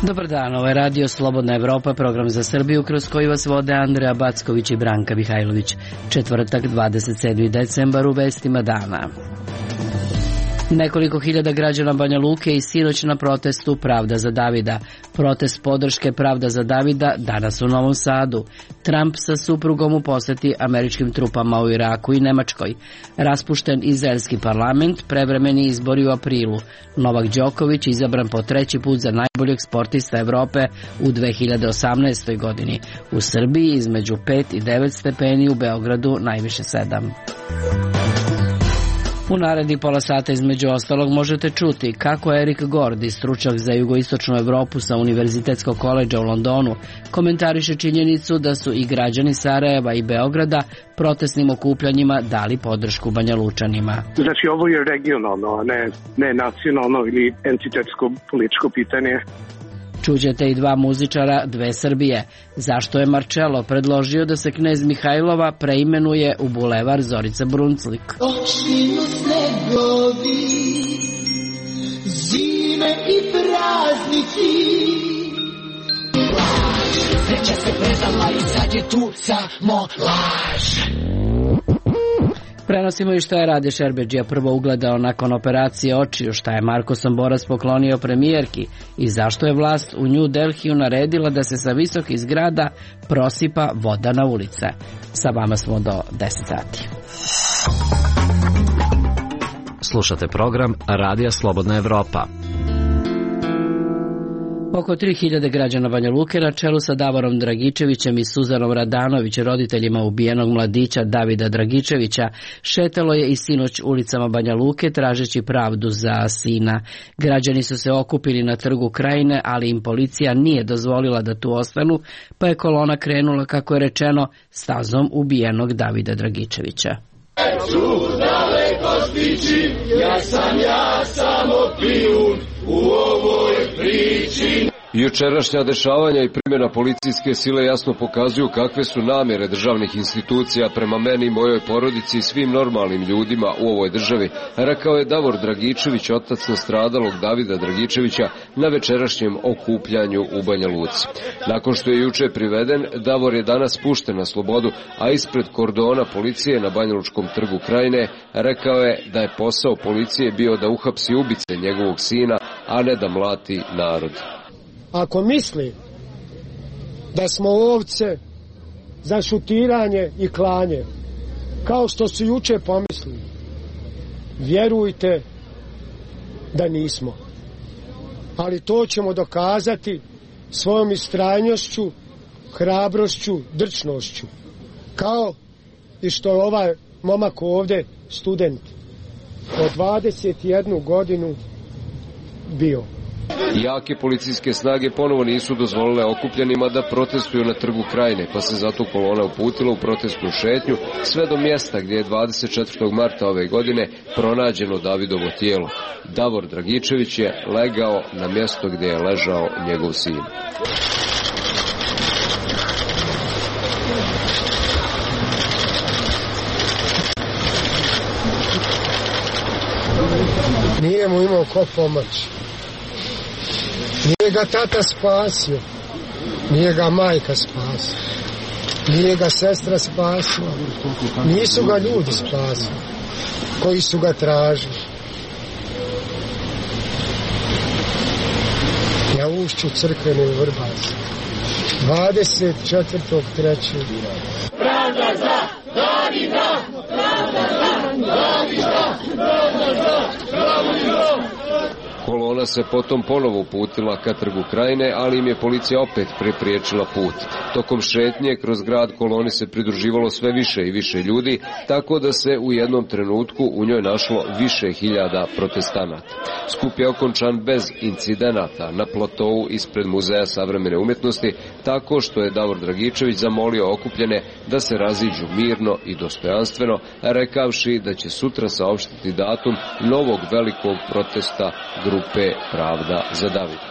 Dobar dan, ovo je Radio Slobodna Evropa, program za Srbiju kroz koji vas vode Andreja Backović i Branka Mihajlović. Četvrtak, 27. decembar, u vestima dana. Nekoliko hiljada građana Banja Luke i sinoć na protestu Pravda za Davida. Protest podrške Pravda za Davida danas u Novom Sadu. Trump sa suprugom u poseti američkim trupama u Iraku i Nemačkoj. Raspušten izraelski parlament, prevremeni izbori u aprilu. Novak Đoković izabran po treći put za najboljeg sportista Evrope u 2018. godini. U Srbiji između 5 i 9 stepeni, u Beogradu najviše 7. U narednih pola sata između ostalog možete čuti kako Erik Gordi, stručnjak za jugoistočnu Evropu sa Univerzitetskog koledža u Londonu, komentariše činjenicu da su i građani Sarajeva i Beograda protestnim okupljanjima dali podršku Banjalučanima. Znači ovo je regionalno, a ne nacionalno ili entitetsko političko pitanje. Čućete i dva muzičara dve Srbije. Zašto je Marcello predložio da se knez Mihajlova preimenuje u bulevar Zorica Brunclik? Počinju snegovi, zime i praznici. Sreća se predala i sad je tu samo laž. Prenosimo i šta je Rade Šerbedžija prvo ugledao nakon operacije očiju, šta je Marko Somborac poklonio premijerki i zašto je vlast u New Delhiju naredila da se sa visokih zgrada prosipa voda na ulice. Sa vama smo do 10 sati. Slušate program Radija Slobodna Evropa. Oko 3000 građana Banja Luke na čelu sa Davorom Dragičevićem i Suzanom Radanović, roditeljima ubijenog mladića Davida Dragičevića, šetalo je i sinoć ulicama Banja Luke tražeći pravdu za sina. Građani su se okupili na Trgu Krajine, ali im policija nije dozvolila da tu ostanu, pa je kolona krenula, kako je rečeno, stazom ubijenog Davida Dragičevića. Su daleko stići, ja sam samo pijun u ovoj priči. Jučerašnja dešavanja i primjena policijske sile jasno pokazuju kakve su namjere državnih institucija prema meni i mojoj porodici i svim normalnim ljudima u ovoj državi, rekao je Davor Dragičević, otac nastradalog Davida Dragičevića, na večerašnjem okupljanju u Banja Luci. Nakon što je juče priveden, Davor je danas pušten na slobodu, a ispred kordona policije na Banjalučkom trgu Krajine rekao je da je posao policije bio da uhapsi ubice njegovog sina, a ne da mlati narod. Ako misli da smo ovce za šutiranje i klanje, kao što su juče pomislili, vjerujte da nismo. Ali to ćemo dokazati svojom istrajnošću, hrabrošću, drčnošću. Kao i što je ovaj momak ovdje student od 21 godinu bio. Jake policijske snage ponovo nisu dozvolile okupljenima da protestuju na Trgu Krajine, pa se zato kolona uputila u protestnu šetnju sve do mjesta gdje je 24. marta ove godine pronađeno Davidovo tijelo. Davor Dragičević je legao na mjesto gdje je ležao njegov sin. Nije mu imao ko pomoći. Nije ga tata spasio, nije ga majka spasila, nije ga sestra spasila, nisu ga ljudi spasili koji su ga tražili. Na ušću crkvene u Vrbasu, 24.3. Pravda za Davida! Pravda za Davida! Pravda za Davida! Kolona se potom ponovo uputila ka Trgu Krajine, ali im je policija opet prepriječila put. Tokom šetnje kroz grad koloni se pridruživalo sve više i više ljudi, tako da se u jednom trenutku u njoj našlo više hiljada protestanata. Skup je okončan bez incidenata na platou ispred Muzeja savremene umjetnosti, tako što je Davor Dragičević zamolio okupljene da se raziđu mirno i dostojanstveno, rekavši da će sutra saopštiti datum novog velikog protesta grupe Pravda za Davida.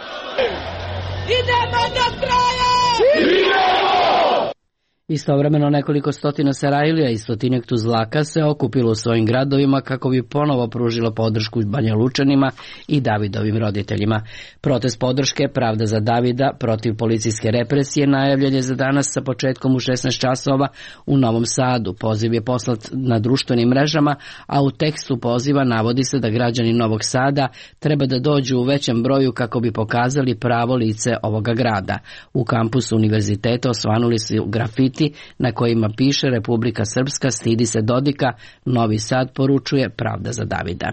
Idemo do kraja! Idemo! Istovremeno nekoliko stotina Sarajlija i stotinjak Tuzlaka se okupilo u svojim gradovima kako bi ponovo pružilo podršku Banja Lučanima i Davidovim roditeljima. Protest podrške Pravda za Davida protiv policijske represije najavljen je za danas sa početkom u 16 časova u Novom Sadu. Poziv je poslat na društvenim mrežama, a u tekstu poziva navodi se da građani Novog Sada treba da dođu u većem broju kako bi pokazali pravo lice ovoga grada. U kampusu univerziteta osvanuli su grafiti na kojima piše Republika Srpska stidi se Dodika, Novi Sad poručuje Pravda za Davida.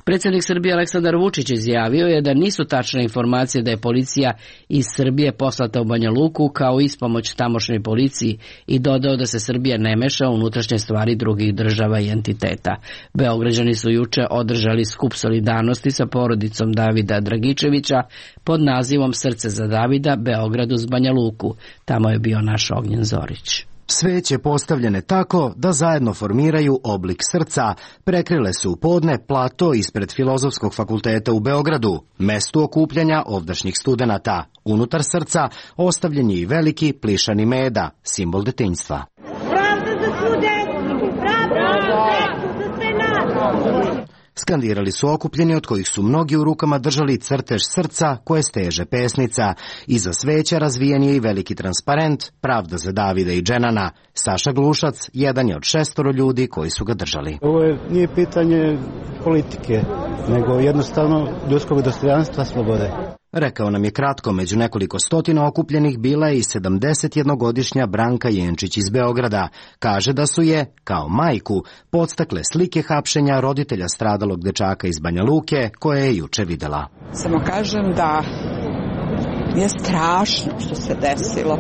Predsjednik Srbije Aleksandar Vučić izjavio je da nisu tačne informacije da je policija iz Srbije poslata u Banja Luku kao ispomoć tamošnjoj policiji i dodao da se Srbija ne meša u unutrašnje stvari drugih država i entiteta. Beograđani su juče održali skup solidarnosti sa porodicom Davida Dragičevića pod nazivom Srce za Davida, Beograd uz Banja Luku. Tamo je bio naš Ognjen Zorić. Sveće postavljene tako da zajedno formiraju oblik srca, prekrile su u podne plato ispred Filozofskog fakulteta u Beogradu, mestu okupljanja ovdašnjih studenata. Unutar srca ostavljen je i veliki plišani meda, simbol detinjstva. Pravda za svu decu! Pravda za sve nas! Skandirali su okupljeni od kojih su mnogi u rukama držali crtež srca koje steže pesnica. Iza sveća razvijen je i veliki transparent Pravda za Davida i Dženana. Saša Glušac jedan je od 6 ljudi koji su ga držali. Ovo nije pitanje politike, nego jednostavno ljudskog dostojanstva, slobode. Rekao nam je kratko, među nekoliko stotina okupljenih bila je i 71-godišnja Branka Jenčić iz Beograda. Kaže da su je, kao majku, podstakle slike hapšenja roditelja stradalog dečaka iz Banja Luke, koje je juče videla. Samo kažem da je strašno što se desilo.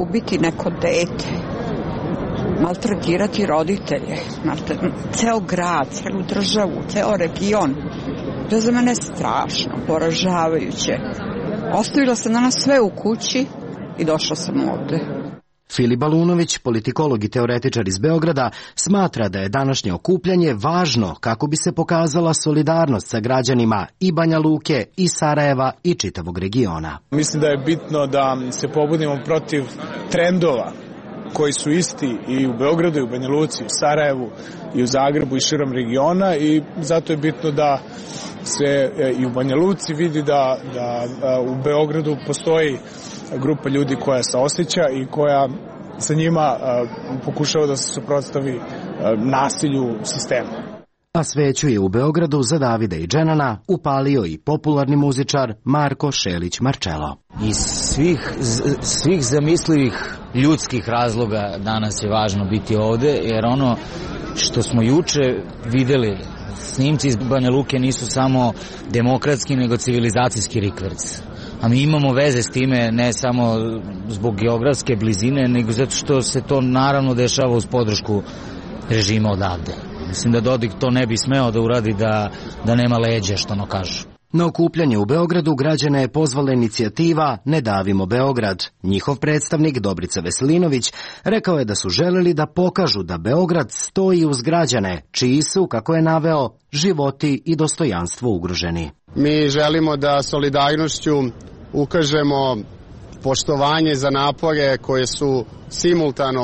Ubiti neko dete, maltretirati roditelje, ceo grad, celu državu, ceo region. To je za mene strašno, poražavajuće. Ostavila sam danas sve u kući i došla sam ovde. Filip Balunović, politikolog i teoretičar iz Beograda, smatra da je današnje okupljanje važno kako bi se pokazala solidarnost sa građanima i Banja Luke, i Sarajeva, i čitavog regiona. Mislim da je bitno da se pobudimo protiv trendova koji su isti i u Beogradu, i u Banja Luci, i u Sarajevu, i u Zagrebu, i širom regiona, i zato je bitno da se i u Banja Luci vidi da u Beogradu postoji grupa ljudi koja se osjeća i koja sa njima pokušava da se suprotstavi nasilju sistema. A sveću je u Beogradu za Davida i Dženana upalio i popularni muzičar Marko Šelić Marčelo. Iz svih zamislivih ljudskih razloga danas je važno biti ovde, jer ono što smo juče videli, snimci iz Banja Luke nisu samo demokratski, nego civilizacijski rikverc. A mi imamo veze s time ne samo zbog geografske blizine, nego zato što se to naravno dešava uz podršku režima odavde. Mislim da Dodik to ne bi smeo da uradi da nema leđa, što ono kažu. Na okupljanje u Beogradu građane je pozvala inicijativa Ne davimo Beograd. Njihov predstavnik Dobrica Veselinović rekao je da su želeli da pokažu da Beograd stoji uz građane, čiji su, kako je naveo, životi i dostojanstvo ugroženi. Mi želimo da solidarnošću ukažemo poštovanje za napore koje su simultano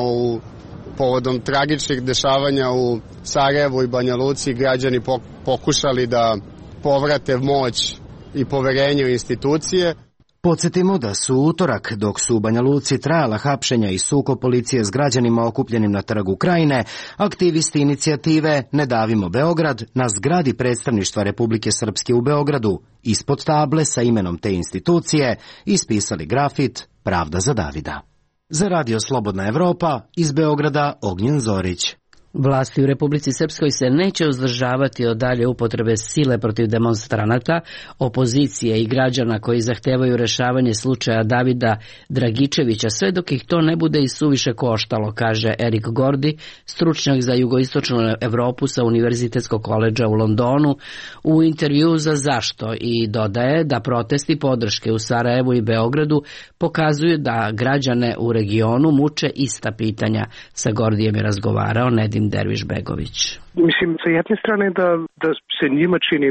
povodom tragičnih dešavanja u Sarajevu i Banja Luci građani pokušali da povrate moć i poverenje u institucije. Podsjetimo da su utorak, dok su u Banja Luci trajala hapšenja i sukob policije s građanima okupljenim na Trgu Krajine, aktivisti inicijative Ne davimo Beograd na zgradi predstavništva Republike Srpske u Beogradu ispod table sa imenom te institucije ispisali grafit Pravda za Davida. Za Radio Slobodna Evropa, iz Beograda Ognjen Zorić. Vlasti u Republici Srpskoj se neće uzdržavati od dalje upotrebe sile protiv demonstranata, opozicije i građana koji zahtevaju rešavanje slučaja Davida Dragičevića, sve dok ih to ne bude i suviše koštalo, kaže Erik Gordi, stručnjak za jugoistočnu Evropu sa Univerzitetskog koledža u Londonu, u intervju za Zašto, i dodaje da protesti podrške u Sarajevu i Beogradu pokazuju da građane u regionu muče ista pitanja. Sa Gordijem je razgovarao Nedim Derviš Begović. Mislim, sa jedne strane da se njima čini,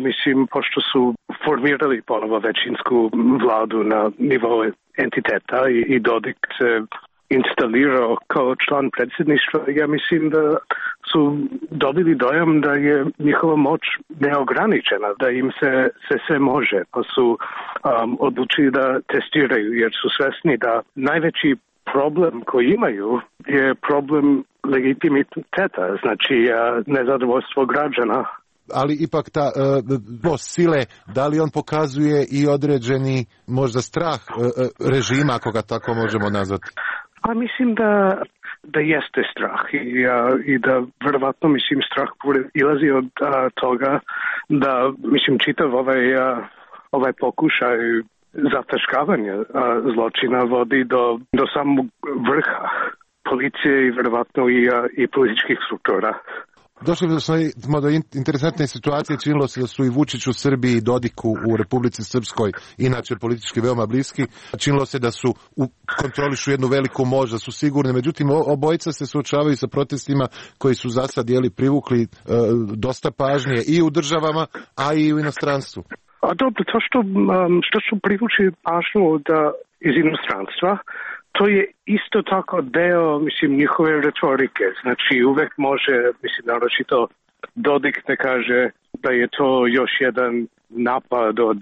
pošto su formirali ponovo većinsku vladu na nivou entiteta i Dodik se instalirao kao član predsjedništva, ja mislim da su dobili dojam da je njihova moć neograničena, da im se sve može, pa su odlučili da testiraju, jer su svesni da najveći problem koji imaju je problem legitimiteta, znači nezadovoljstvo građana. Ali ipak ta sile, da li on pokazuje i određeni možda strah režima, ako ga tako možemo nazvati? A mislim da jeste strah i da verovatno strah ilazi od toga da čitav ovaj pokušaj zataškavanja zločina vodi do samog vrha policije i verovatno i političkih struktura. Došli smo do interesantne situacije, činilo se da su i Vučić u Srbiji i Dodiku u Republici Srpskoj, inače politički veoma bliski, činilo se da su kontrolišu jednu veliku moć, da su sigurni, međutim obojica se suočavaju sa protestima koji su za sad privukli dosta pažnje i u državama, a i u inostranstvu. A dobro, to što su privučili pažnju iz inostranstva, to je isto tako deo, njihove retorike. Znači, uvek može, naročito Dodik ne kaže da je to još jedan napad od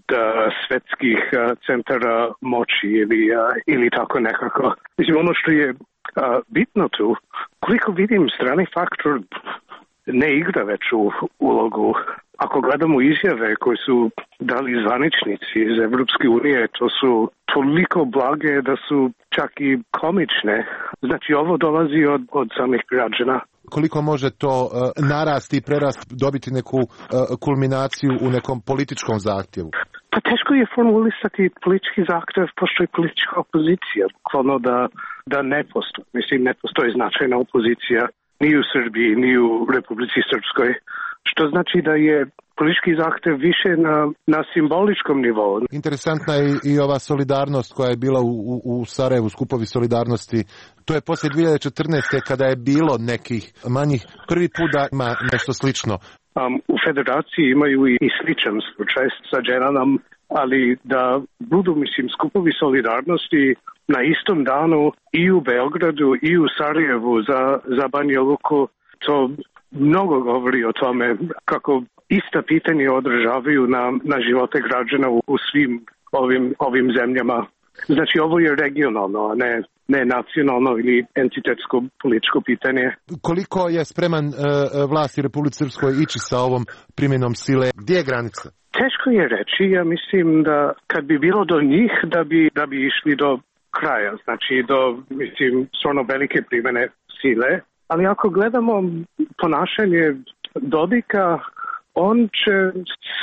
svetskih centara moći ili tako nekako. Ono što je bitno tu, koliko vidim, strani faktor ne igra veću ulogu. Ako gledamo izjave koje su dali zvaničnici iz Evropske unije, to su toliko blage da su čak i komične. Znači, ovo dolazi od samih građana. Koliko može to narasti i dobiti neku kulminaciju u nekom političkom zahtjevu? Pa teško je formulisati politički zahtjev, postoji politička opozicija, bukvalno da ne postoji. Ne postoji značajna opozicija ni u Srbiji, ni u Republici Srpskoj. Što znači da je politički zahtev više na simboličkom nivou. Interesantna je i ova solidarnost koja je bila u Sarajevu, skupovi solidarnosti. To je poslije 2014. kada je bilo nekih manjih, prvi put da ima nešto slično. U federaciji imaju i sličan slučaj sa Dženanom, ali da budu, skupovi solidarnosti na istom danu i u Beogradu i u Sarajevu za Banja Luku, to mnogo govori o tome kako ista pitanja odražavaju na živote građana u svim ovim zemljama. Znači, ovo je regionalno, a ne nacionalno ili entitetsko političko pitanje. Koliko je spreman vlasti Republike Srpskoj ići sa ovom primjenom sile? Gdje je granica? Teško je reći. Ja mislim da kad bi bilo do njih, da bi išli do kraja. Znači, do stvarno velike primjene sile. Ali ako gledamo ponašanje Dodika, on će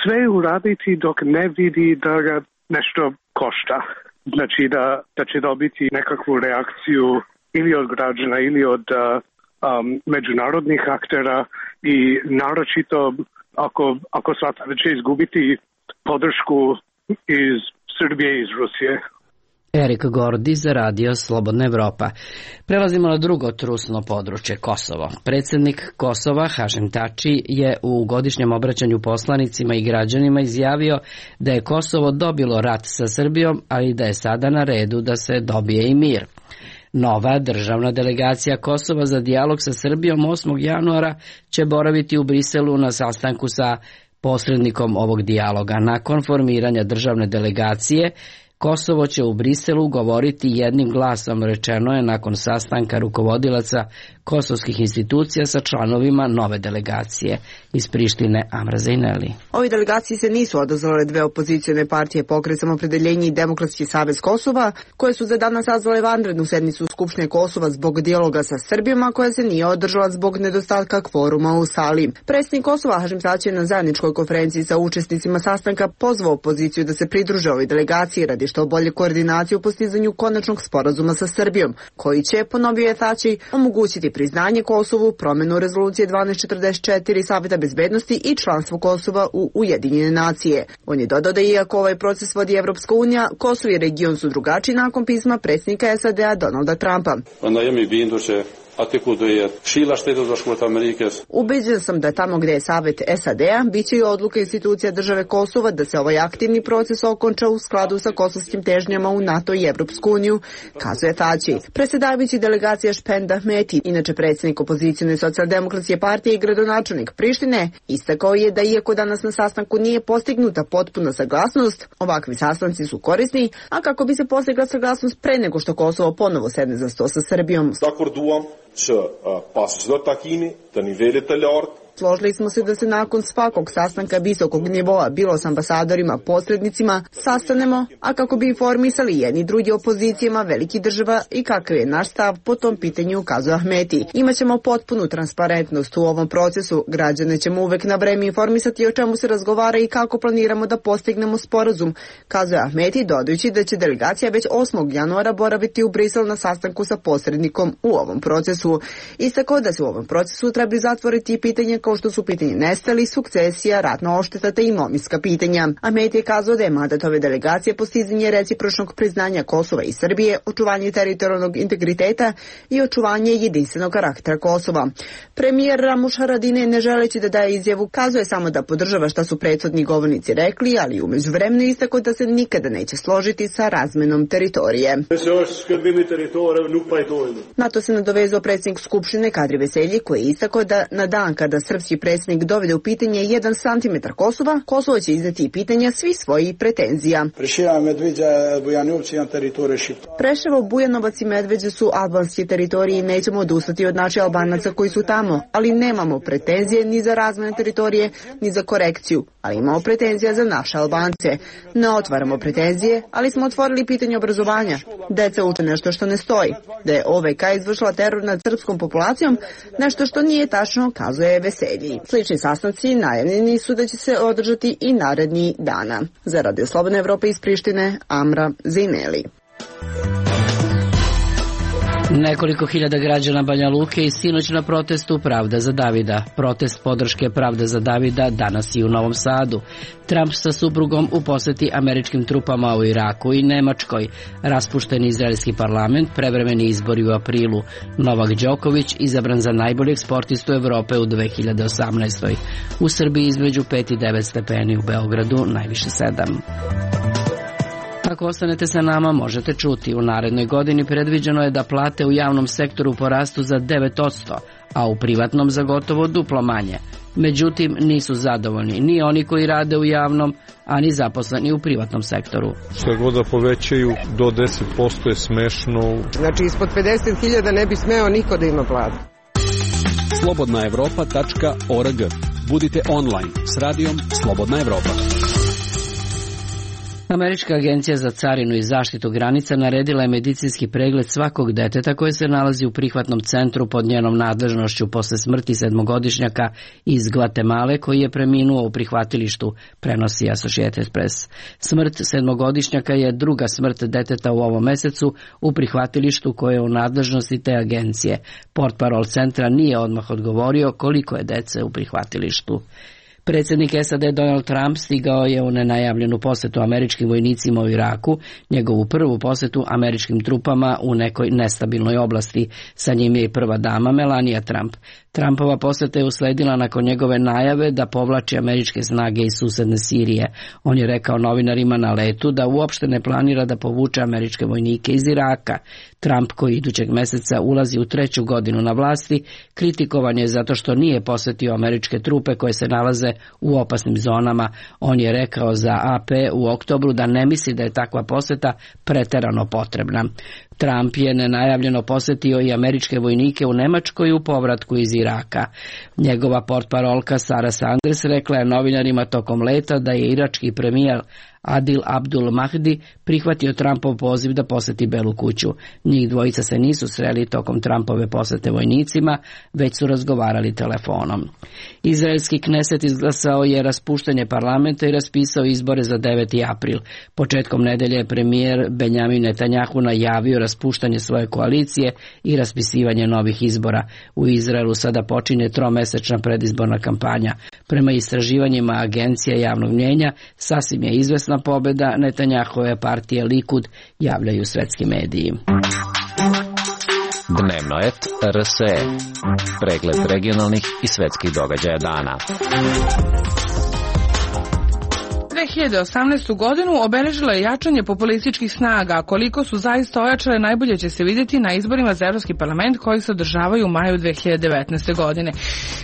sve uraditi dok ne vidi da ga nešto košta. Znači da će dobiti nekakvu reakciju ili od građana ili od međunarodnih aktera i naročito ako shvata da će izgubiti podršku iz Srbije i iz Rusije. Erik Gordi za Radio Slobodna Evropa. Prelazimo na drugo trusno područje, Kosovo. Predsjednik Kosova, Hašim Tači, je u godišnjem obraćanju poslanicima i građanima izjavio da je Kosovo dobilo rat sa Srbijom, ali da je sada na redu da se dobije i mir. Nova državna delegacija Kosova za dijalog sa Srbijom 8. januara će boraviti u Briselu na sastanku sa posrednikom ovog dijaloga. Nakon formiranja državne delegacije, Kosovo će u Briselu govoriti jednim glasom, rečeno je nakon sastanka rukovodilaca kosovskih institucija sa članovima nove delegacije. Iz Prištine, Amra Zejneli. Ovi delegaciji se nisu odazvale dve opozicione partije, Pokret Samopredeljenje i Demokratski savez Kosova, koje su za danas sazvale vanrednu sednicu Skupštine Kosova zbog dijaloga sa Srbijom, a koja se nije održala zbog nedostatka kvoruma u sali. Predsjednik Kosova Hašim Tači je na zajedničkoj konferenciji sa učesnicima sastanka pozvao opoziciju da se pridruže ovoj delegaciji radi što bolje koordinacije u postizanju konačnog sporazuma sa Srbijom, koji će, ponovio je Tači, omogućiti priznanje Kosovu, promjenu rezolucije 1244 Saveta bezbednosti i članstvo Kosova u Ujedinjene nacije. On je dodao da iako ovaj proces vodi Evropska unija, Kosovo i region su drugačiji nakon pisma predsjednika SAD-a Donalda Trumpa. Ubeđen sam da tamo gde je Savet SAD-a, bit će i odluka institucija države Kosova da se ovaj aktivni proces okonča u skladu sa kosovskim težnjama u NATO i Evropsku uniju, kazuje Tači. Predsjedavajući delegacija Špend Ahmeti, inače predsjednik opozicione socijaldemokratske partije i gradonačelnik Prištine, istakao je da iako danas na sastanku nije postignuta potpuna saglasnost, ovakvi sastanci su korisni, a kako bi se postigla saglasnost pre nego što Kosovo ponovo sedne za sto sa Srbijom. Složili smo se da se nakon svakog sastanka visokog nivoa, bilo s ambasadorima, posrednicima, sastanemo, a kako bi informisali jedni drugi opozicijama velikih država i kakav je naš stav po tom pitanju, ukazuje Ahmeti. Imaćemo potpunu transparentnost u ovom procesu, građane ćemo uvek na vreme informisati o čemu se razgovara i kako planiramo da postignemo sporazum, kazuje Ahmeti, dodajući da će delegacija već 8. januara boraviti u Brisel na sastanku sa posrednikom u ovom procesu. Istakao da se u ovom procesu treba zatvoriti pitanje kao što su pitanje nestali, sukcesija, ratna ošteta te imovinska pitanja. Ahmeti je kazao da je mandat ove delegacije postizanje recipročnog priznanja Kosova i Srbije, očuvanje teritorijalnog integriteta i očuvanje jedinstvenog karaktera Kosova. Premijer Ramuš Haradinaj, ne želeći da daje izjavu, kazuje samo da podržava šta su prethodni govornici rekli, ali u međuvremenu istakao da se nikada neće složiti sa razmenom teritorije. Na to se nadovezao predsjednik Skupštine Kadri Veselji, koji je istakao da na dan kada srpski predsjednik dovede u pitanje 1 cm Kosova, Kosovo će izneti pitanja svih svojih pretenzija. Preševo, Bujanovac i Medveđa su albanski teritoriji i nećemo odustati od naših Albanaca koji su tamo, ali nemamo pretenzije ni za razmenu teritorije, ni za korekciju, ali imamo pretenzija za naše Albance. Ne otvaramo pretenzije, ali smo otvorili pitanje obrazovanja. Deca uče nešto što ne stoji. Da je OVK izvršila teror nad srpskom populacijom, nešto što nije tačno, kazuje Veselji. Slični sastanci najavljeni su da će se održati i naredni dana. Za Radio Slobodne Evrope iz Prištine, Amra Zejneli. Nekoliko hiljada građana Banja Luke i sinoć na protestu Pravda za Davida. Protest podrške Pravda za Davida danas i u Novom Sadu. Trump sa suprugom u poseti američkim trupama u Iraku i Nemačkoj. Raspušteni izraelski parlament, prevremeni izbori u aprilu. Novak Đoković izabran za najboljeg sportistu Evrope u 2018. U Srbiji između 5 i 9 stepeni, u Beogradu najviše 7. Ako ostanete sa nama, možete čuti. U narednoj godini predviđeno je da plate u javnom sektoru porastu za 9%, a u privatnom za gotovo duplo manje. Međutim, nisu zadovoljni ni oni koji rade u javnom, a ni zaposleni u privatnom sektoru. Što god da povećaju do 10% je smešno. Znači, ispod 50.000 ne bi smeo niko da ima platu. slobodnaevropa.org. Budite online s radijom Slobodna Evropa. Američka agencija za carinu i zaštitu granica naredila je medicinski pregled svakog deteta koje se nalazi u prihvatnom centru pod njenom nadležnošću posle smrti 7-godišnjaka iz Gvatemale koji je preminuo u prihvatilištu, prenosi Associated Press. Smrt 7-godišnjaka je druga smrt deteta u ovom mesecu u prihvatilištu koje je u nadležnosti te agencije. Portparol centra nije odmah odgovorio koliko je dece u prihvatilištu. Predsjednik SAD Donald Trump stigao je u nenajavljenu posetu američkim vojnicima u Iraku, njegovu prvu posetu američkim trupama u nekoj nestabilnoj oblasti. Sa njim je i prva dama Melania Trump. Trumpova poseta je usledila nakon njegove najave da povlači američke snage iz susedne Sirije. On je rekao novinarima na letu da uopšte ne planira da povuče američke vojnike iz Iraka. Trump, koji idućeg meseca ulazi u 3. godinu na vlasti, kritikovan je zato što nije posetio američke trupe koje se nalaze u opasnim zonama. On je rekao za AP u oktobru da ne misli da je takva poseta preterano potrebna. Trump je nenajavljeno posetio i američke vojnike u Nemačkoj u povratku iz Iraka. Njegova portparolka Sarah Sanders rekla je novinarima tokom leta da je irački premijer Adil Abdul Mahdi prihvatio Trumpov poziv da poseti Belu kuću. Njih dvojica se nisu sreli tokom Trumpove posete vojnicima, već su razgovarali telefonom. Izraelski Kneset izglasao je raspuštanje parlamenta i raspisao izbore za 9. april. Početkom nedelje je premijer Benjamin Netanjahu najavio raspuštanje svoje koalicije i raspisivanje novih izbora. U Izraelu sada počinje 3-mesečna predizborna kampanja. Prema istraživanjima agencija javnog mnjenja, sasvim je izvesna pobjeda Netanjahove partije Likud, javljaju svetski mediji. Dnevnoet.rs. Pregled regionalnih i svetskih događaja dana. 2018. godinu obeležilo je jačanje populističkih snaga, a koliko su zaista ojačale najbolje će se vidjeti na izborima za Evropski parlament koji se održavaju u maju 2019. godine.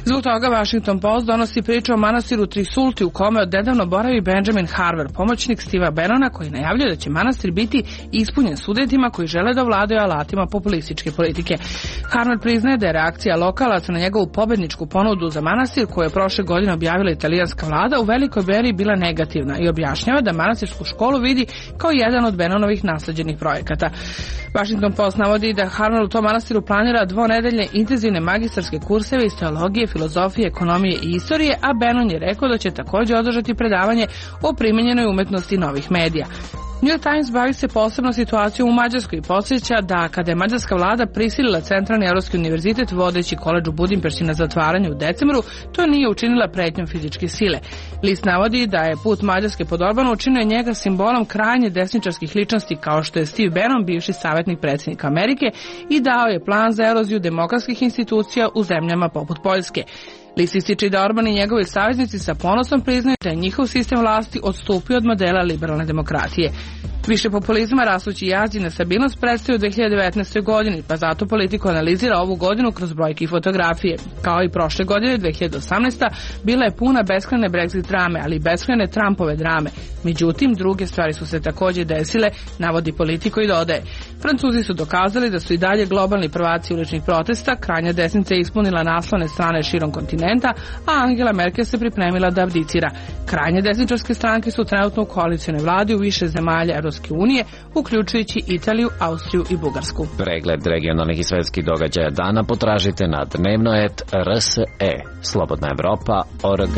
Zbog toga Washington Post donosi priču o manastiru Trisulti u kome odnedavno boravi Benjamin Harver, pomoćnik Steva Bannona, koji najavljuje da će manastir biti ispunjen studentima koji žele da vladaju alatima populističke politike. Harver priznaje da je reakcija lokalaca na njegovu pobedničku ponudu za manastir koju je prošle godine objavila italijanska vlada u velikoj meri bila negativna i objašnjava da manastirsku školu vidi kao jedan od Bannonovih nasleđenih projekata. Washington Post navodi da Harver u tom manastiru planira dvonedeljne intenzivne magistarske kurseve iz teologije, filozofije, ekonomije i istorije, a Bannon je rekao da će također održati predavanje o primenjenoj umetnosti novih medija. New York Times bavi se posebno situacijom u Mađarskoj i podsjeća da kada je mađarska vlada prisilila Centralni evropski univerzitet vodeći koledž u Budimpešti na zatvaranje u decembru, to nije učinila pretnjom fizičke sile. List navodi da je put Mađarske pod Orbanom učinio njega simbolom krajnje desničarskih ličnosti kao što je Steve Bannon, bivši savjetnik predsjednika Amerike, i dao je plan za eroziju demokratskih institucija u zemljama poput Poljske. List ističe da Orban i njegovi saveznici sa ponosom priznaju da je njihov sistem vlasti odstupio od modela liberalne demokratije. Više populizma, rastući jaz i nestabilnost predstoji u 2019. godini, pa zato politiku analizira ovu godinu kroz brojke i fotografije. Kao i prošle godine, 2018. bila je puna beskrajne Brexit drame, ali i beskrajne Trumpove drame. Međutim, druge stvari su se također desile, navodi Politico i dodaje. Francuzi su dokazali da su i dalje globalni prvaci uličnih protesta, krajnja desnica je ispunila naslovne strane širom kontinenta, a Angela Merkel se pripremila da abdicira. Krajnje desničarske stranke su trenutno u koalicionoj vladi u više zemalja Evropske unije, uključujući Italiju, Austriju i Bugarsku. Pregled regionalnih i svetskih događaja dana potražite na Dnevnoet.rs. Slobodna Evropa.org.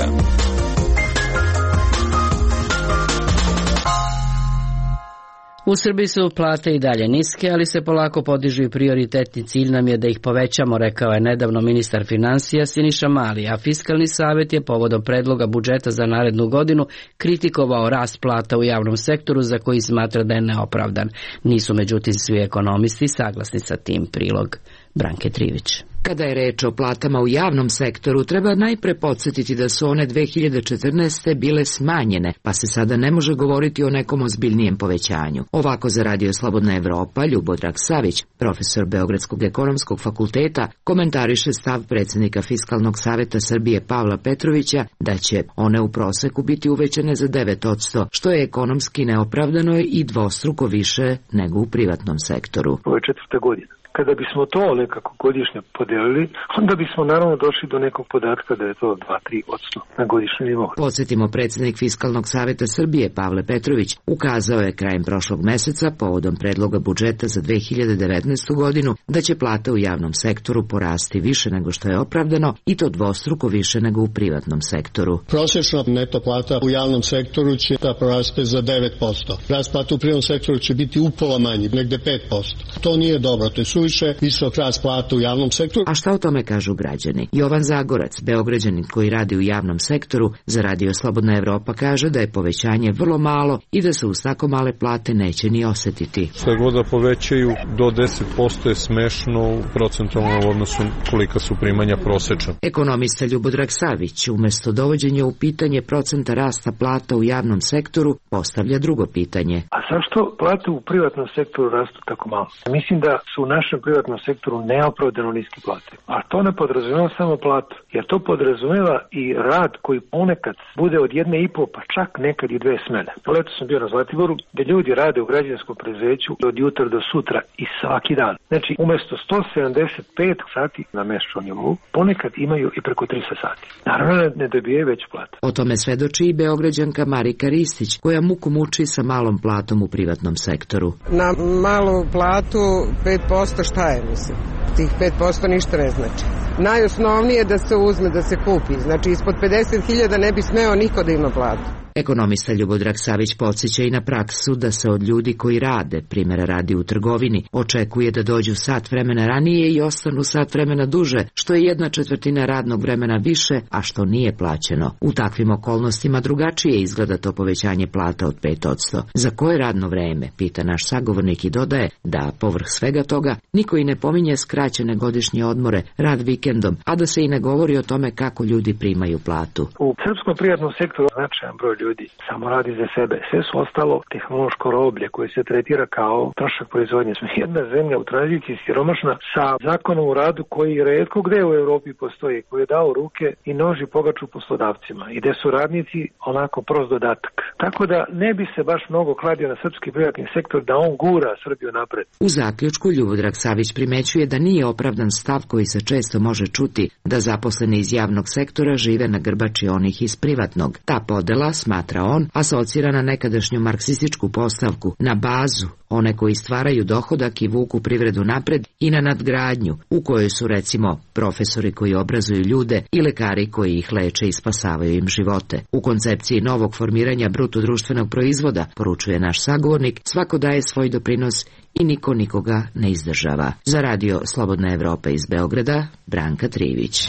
U Srbiji su plate i dalje niske, ali se polako podižu i prioritetni cilj nam je da ih povećamo, rekao je nedavno ministar financija Siniša Mali, a Fiskalni savjet je povodom predloga budžeta za narednu godinu kritikovao rast plata u javnom sektoru za koji smatra da je neopravdan. Nisu međutim svi ekonomisti saglasni sa tim. Prilog Branke Trivić. Kada je reč o platama u javnom sektoru, treba najpre podsjetiti da su one 2014. bile smanjene, pa se sada ne može govoriti o nekom ozbiljnijem povećanju. Ovako za Radio Slobodna Evropa Ljubodrag Savić, profesor Beogradskog ekonomskog fakulteta, komentariše stav predsjednika Fiskalnog savjeta Srbije Pavla Petrovića da će one u proseku biti uvećane za 9%, što je ekonomski neopravdano i dvostruko više nego u privatnom sektoru. Ovo je 4. godina. Kada bismo to nekako godišnje podelili, onda bismo naravno došli do nekog podatka da je to 2-3% na godišnjem nivou. Podsjetimo, predsjednik Fiskalnog savjeta Srbije Pavle Petrović ukazao je krajem prošlog meseca povodom predloga budžeta za 2019. godinu da će plata u javnom sektoru porasti više nego što je opravdano i to dvostruko više nego u privatnom sektoru. Prosječna neto plata u javnom sektoru će da poraste za 9%. Rast plata u privatnom sektoru će biti upola manji, negde 5%. To nije dobro, to je suviše visok rast plata u javnom sektoru. A šta o tome kažu građani? Jovan Zagorac, Beograđanin koji radi u javnom sektoru, za Radio Slobodna Evropa kaže da je povećanje vrlo malo i da se uz tako male plate neće ni osjetiti. Što god da povećaju do 10% je smešno u procentualnom odnosu kolika su primanja prosečna. Ekonomista Ljubodrag Savić umjesto dovođenja u pitanje procenta rasta plata u javnom sektoru postavlja drugo pitanje. A zašto plate u privatnom sektoru rastu tako malo? Mislim da su u našem privatnom sektoru neopravdano niske plate. A to ne podrazumijeva samo platu, jer to podrazumijeva i rad koji ponekad bude od 1,5 pa čak nekad i 2 smene. Leto sam bio na Zlatiboru gdje ljudi rade u građevinskom preduzeću od jutra do sutra i svaki dan. Znači umjesto 175 sati na mesečnom nivou, ponekad imaju i preko 300 sati. Naravno ne dobijaju veću platu. O tome svedoči i Beograđanka Marika Ristić, koja muku muči sa malom platom u privatnom sektoru. Na malu platu 5% šta je, mislim? Tih 5% ništa ne znači. Najosnovnije je da se uzme, da se kupi. Znači, ispod 50.000 ne bi smeo niko da ima platu. Ekonomista Ljubodrag Savić podsjeća i na praksu da se od ljudi koji rade, primjera radi u trgovini, očekuje da dođu sat vremena ranije i ostanu sat vremena duže, što je 1/4 radnog vremena više, a što nije plaćeno. U takvim okolnostima drugačije izgleda to povećanje plata od 5%. Za koje radno vreme, pita naš sagovornik i dodaje da, povrh svega toga, niko i ne pominje skraćene godišnje odmore, rad vikendom, a da se i ne govori o tome kako ljudi primaju platu. U srpskom privatnom sektoru značajan broj ljudi samo radi za sebe. Sve su ostalo tehnološko roblje koje se tretira kao trošak proizvodnje. Smo jedna zemlja u tranziciji siromašna sa zakonom o radu koji retko gde u Evropi postoji, koji je dao ruke i noži pogaču poslodavcima i gde su radnici onako prost dodatak. Tako da ne bi se baš mnogo kladio na srpski privatni sektor da on gura Srbiju napred. U zaključku Ljubodrag Savić primećuje da nije opravdan stav koji se često može čuti da zaposleni iz javnog sektora žive na grbači onih iz privatnog. Ta podela, smatra on, asocira na nekadašnju marksističku postavku, na bazu, one koji stvaraju dohodak i vuku privredu napred, i na nadgradnju, u kojoj su recimo profesori koji obrazuju ljude i lekari koji ih leče i spasavaju im živote. U koncepciji novog formiranja bruto društvenog proizvoda, poručuje naš sagovornik, svako daje svoj doprinos i niko nikoga ne izdržava. Za radio Slobodna Evropa iz Beograda, Branka Trivić.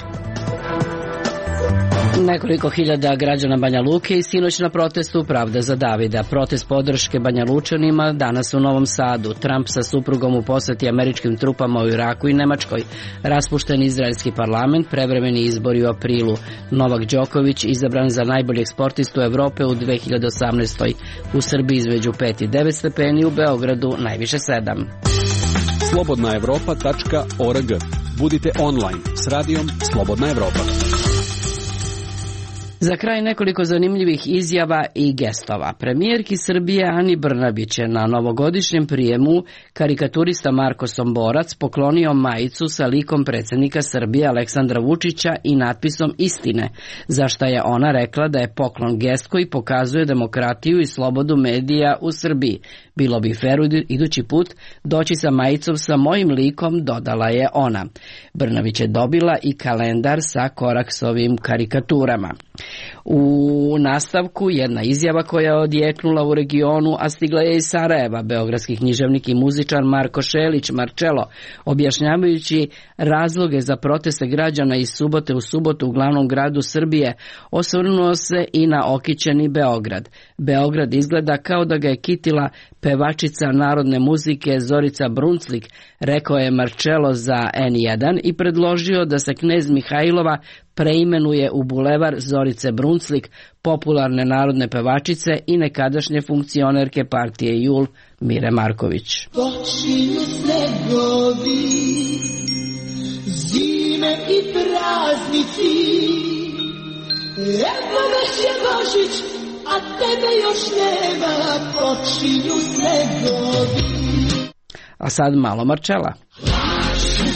Nekoliko hiljada građana Banja Luke i sinoć na protestu Pravda za Davida. Protest podrške Banja Lučanima danas u Novom Sadu. Trump sa suprugom u poseti američkim trupama u Iraku i Nemačkoj. Raspušten izraelski parlament, prevremeni izbori u aprilu. Novak Đoković izabran za najboljeg sportistu Evrope u 2018. U Srbiji između 5 i 9 stepeni, u Beogradu najviše 7. slobodnaevropa.org. Budite online s radijom Slobodna Evropa. Za kraj nekoliko zanimljivih izjava i gestova. Premijerki Srbije Ani Brnabić je na novogodišnjem prijemu karikaturista Marko Somborac poklonio majicu sa likom predsjednika Srbije Aleksandra Vučića i natpisom Istine, za šta je ona rekla da je poklon gest koji pokazuje demokratiju i slobodu medija u Srbiji. Bilo bi fer idući put doći sa majicom sa mojim likom, dodala je ona. Brnabić je dobila i kalendar sa Koraksovim karikaturama. U nastavku jedna izjava koja je odjeknula u regionu, a stigla je iz Sarajeva. Beogradski književnik i muzičar Marko Šelić Marčelo, objašnjavajući razloge za proteste građana iz subote u subotu u glavnom gradu Srbije, osvrnuo se i na okićeni Beograd. Beograd izgleda kao da ga je kitila pevačica narodne muzike Zorica Brunclik, rekao je Marčelo za N1 i predložio da se Knez Mihajlova preimenuje u bulevar Zorice Brunclik, popularne narodne pevačice i nekadašnje funkcionerke partije JUL Mire Marković. Počinju snegovi, zime i praznici, evo već je Božić, a tebe još nema, počinju snegovi. A sad malo Marčela.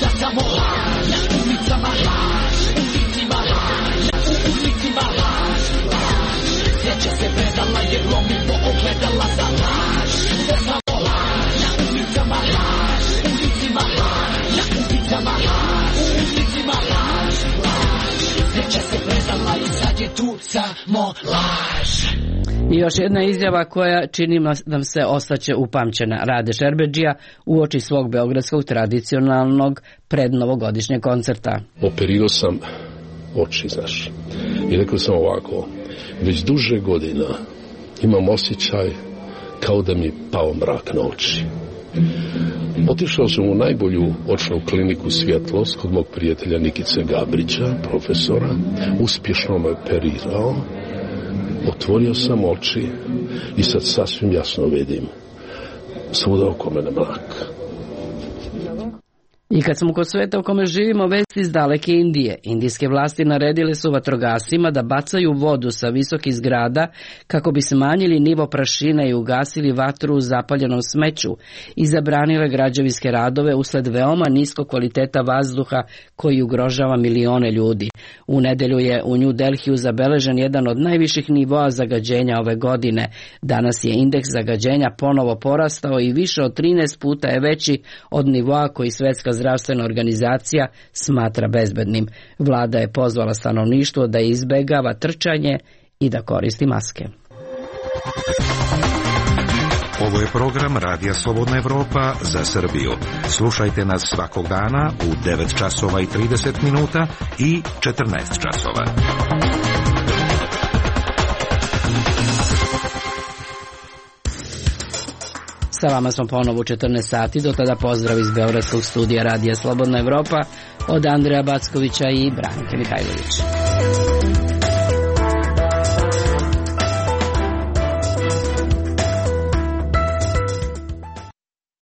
Da samo laž, na ulicama laž, u ulicima laž, na ulicima laž, laž. Sreća se predala jer lomi po ogledala za laž. Da samo laž, na ulicama laž, u ulicima laž, na ulicama laž, u ulicima laž, laž. Sreća se predala i sad je tu samo laž. I još jedna izjava koja čini nam se ostaće upamćena. Rade Šerbedžija uoči svog beogradskog tradicionalnog prednovogodišnjeg koncerta. Operirao sam oči, znaš. I rekao sam ovako, već duže godina imam osjećaj kao da mi pao mrak na oči. Otišao sam u najbolju očnu kliniku Svjetlost kod mog prijatelja Nikice Gabrića, profesora. Uspješno me operirao. Otvorio sam oči i sad sasvim jasno vidim svuda oko mene mrak. I kad smo kod sveta u kome živimo, vesti iz daleke Indije. Indijske vlasti naredile su vatrogascima da bacaju vodu sa visokih zgrada kako bi smanjili nivo prašine i ugasili vatru u zapaljenom smeću i zabranile građevinske radove usled veoma niskog kvaliteta vazduha koji ugrožava milione ljudi. U nedelju je u New Delhiju zabeležen jedan od najviših nivoa zagađenja ove godine. Danas je indeks zagađenja ponovo porastao i više od 13 puta je veći od nivoa koji Svetska zdravstvena organizacija smatra bezbednim. Vlada je pozvala stanovništvo da izbegava trčanje i da koristi maske. Ovo je program Radija Slobodna Evropa za Srbiju. Slušajte nas svakog dana u 9 časova i 30 minuta i 14 časova. Sa vama smo ponovo u 14 sati, do tada pozdrav iz Beogradskog studija Radija Slobodna Evropa od Andreja Backovića i Branke Mihajlovića.